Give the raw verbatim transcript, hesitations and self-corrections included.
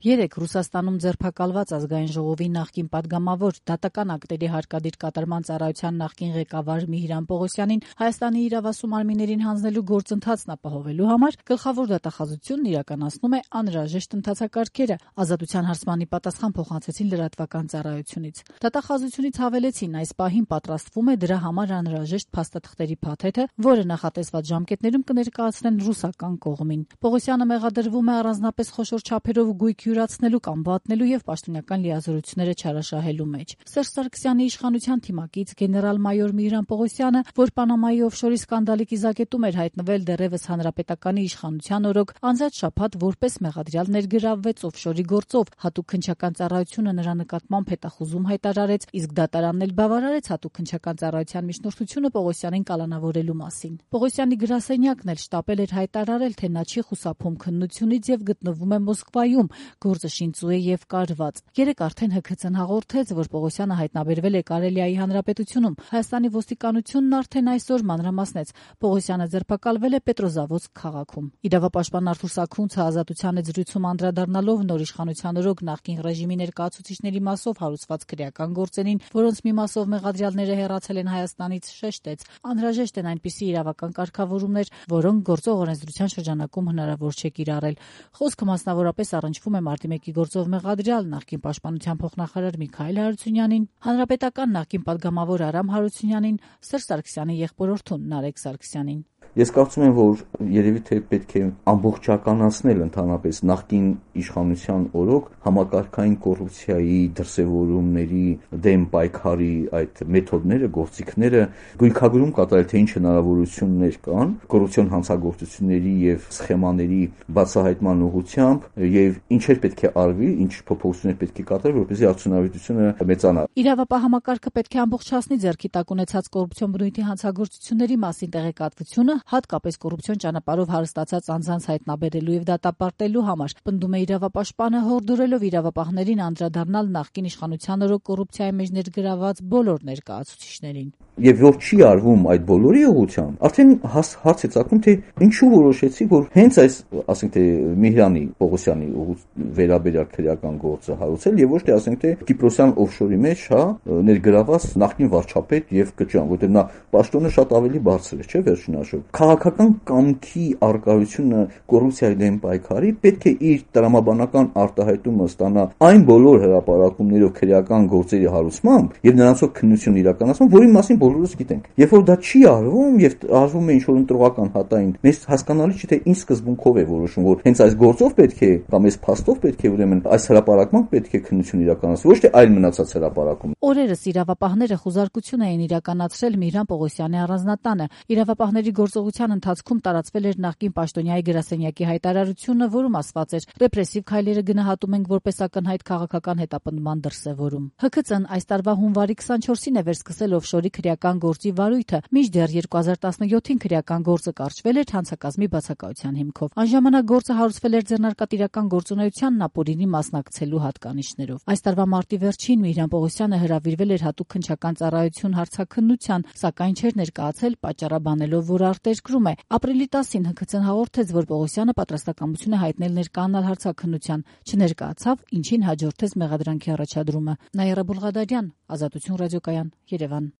Երեկ Ռուսաստանում ձերբակալված ազգային ժողովի նախկին պատգամավոր, դատական ակտերի հարկադիր կատարման ծառայության նախկին ղեկավար Միհիրան Պողոսյանին Հայաստանի իրավասու մարմիններին հանձնելու գործընթացն ապահովելու համար գլխավոր դատախազությունն իրականացնում է անհրաժեշտ ընթացակարգերը, Ազատության հարցմանի պատասխան փոխանցեցին լրատվական ծառայությունից։ Դատախազությունից հավելեցին, այս պահին պատրաստվում է դրա համար անհրաժեշտ փաստաթղթերի փաթեթը, որը նախատեսված ժամկետներում կներկայացնեն ռուսական կողմին։ Պողոսյանը մեղադրվում է առանձնապես խոշոր չափերով գույք յուրացնելու կամ վատնելու եւ պաշտոնական լիազորությունները չարաշահելու մեջ։ Սերժ Սարգսյանի իշխանության թիմակից գեներալ-մայոր Միհիրան Պողոսյանը, որ Պանամայի օֆշորի սկանդալի կիզակետում էր հայտնվել դեռևս հանրապետականի իշխանության օրոք, անցած շաբաթ որպես մեղադրյալ ներգրավվեց օֆշորի գործով, հատուկ քննչական ծառայությունը նրա նկատմամբ հետախուզում հայտարարեց, իսկ դատարանն էլ բավարարեց հատուկ քննչական ծառայության միջնորդությունը Պողոսյանին կալանավորելու մասին։ Պողոսյանի գրասենյակն էլ շտապել էր հայտարարել, թե նա չի խուսափում քննությունից եւ գտնվում է Մոսկվայում, գործը շինծու է եւ կարված։ Երեկ արդեն ՀՔՑ-ն հաղորդեց, որ Պողոսյանը հայտնաբերվել է Կարելիայի հանրապետությունում։ Հայաստանի ոստիկանությունն արդեն այսօր մանրամասնեց, Պողոսյանը ձերբակալվել է Պետրոզավոդսկ քաղաքում։ Իրավապաշտպան Արթուր Սաքունցը Ազատության հետ զրույցում անդրադառնալով նոր իշխանության օրոք նախկին ռեժիմի ներկայացուցիչների մասով հարուցված քրեական գործերին, որոնց մի մասով մեղադրյալները հեռացել են Հայաստանից, շեշտեց, անհրաժեշտ են այնպիսի իրավական կարգավորումներ, որոնք գործող օրենսդրության շրջանակում հնարավոր չէ կիրառել։ Խոսքը մասնավորապես առնչվում է մարտի մեկի գործով մեղադրյալ նախկին պաշտպանության փոխնախարար Միքայել Հարությունյանին, հանրապետական նախկին պատգամավոր Արամ Հարությունյանին, Սերժ Սարգսյանի եղբորորդուն Նարեկ Սարգսյանին։ Ես կարծում եմ, որ երևի թե պետք է ամբողջականացնել ընդհանրապես նախկին իշխանության օրոք համակարգային կոռուպցիայի դրսևորումների դեմ պայքարի այդ մեթոդները, գործիքները գույքագրում կատարել, թե ինչ հնարավորություններ կան կոռուպցիոն հանցագործությունների եւ սխեմաների բացահայտման ուղղությամբ եւ ինչեր պետք է արվի, ինչ փոփոխություններ պետք է կատարել, որպեսզի արդյունավետությունը մեծանա։ Իրավապահ համակարգը պետք է ամբողջացնի ձեռքի տակ ունեցած կոռուպցիոն բնույթի հանցագործությունների մասին տեղեկատվությունը, հատկապես կոռուպցիոն ճանապարհով հարստացած անձանց հայտնաբերելու եւ դատապարտելու համար, պնդում է իրավապաշտպանը, հորդորելով իրավապահներին անդրադառնալ նախկին իշխանության օրոք կոռուպցիայի մեջ ներգրավված բոլոր ներկայացուցիչներին։ Եվ որ չի արվում այդ բոլորի ուղղությամբ, արդեն հարց է ծագում, թե ինչու որոշեցի, որ հենց այս, ասենք թե Միհիրանի Պողոսյանի վերաբերյալ քրեական գործը հարուցել եւ ոչ թե ասենք թե Կիպրոսյան օֆշորի մեջ, հա, ներգրաված նախկին վարչապետ եւ կճան, որտեղ նա պաշտոնը շատ ավելի բարձր է, չէ՞, վերջին հաշվով։ Քաղաքական կամքի արկայությունը կոռուպցիայի դեմ պայքարի պետք է իր տրամաբանական արտահայտումը ստանա այն բոլոր հրապարակումներով քրեական գործերի հարուցմամբ եւ նրանցով քննություն իրականացմամբ, որի մասին բոլորս գիտենք։ Երբ որ դա չի արվում եւ արվում է ինչ-որ ընտրողական հատային, մեզ հասկանալի չէ թե ինչ սկզբունքով է որոշում, որ հենց այս գործով պետք է կամ այս փաստով պետք է ուրեմն այս հրապարակման պետք է քննություն իրականացվի, ոչ թե այլ մնացած հրապարակում։ Օրերս իրավապահները խուզարկություն էին իրականացրել Միհիրան Պողոսյանի առանձնատանը։ Իրավապահների գործողության ընթացքում տարածվել էր նախկին պաշտոնյայի գրասենյակի հայտարարությունը, որում ասված էր. ռեպրեսիվ քայլերը գնահատում ենք որպես ակնհայտ քաղաքական հետապնդման դրսևորում։ ՀՔՑ-ն այս տարվա հունվարի քսանչորսին է վերսկսել օֆշորի քրեական գործի վարույթը, մինչդեռ երկու հազար տասնյոթին քրեական գործը կարճվել էր հանցակազմի բացակայության հիմքով։ Այն ժամանակ գործը հարուցվել էր ձեռնարկատիրական գործունեությանն ապօրինի մասնակցելու հատկանիշներով։ Այս տարվա մարտի վերջին Միհիրան Պողոսյանը հրավիրվել էր հատուկ քննչական ծառայություն հարցաքննության, սակայն չէր ներկայացել, պատճառաբանելով, որ արտերկրում է։ Ապրիլի տասին ՀՔՑ-ն հաղորդեց, որ Պողոսյանը պատրաստակամություն է հայտնել ներկայանալ հարցաքննության, չներկայացավ, ինչին հաջորդեց մեղադրանքի առաջադրումը։ Նաիրա Բուլղադարյան, Ազատություն ռադիոկայան, Երևան։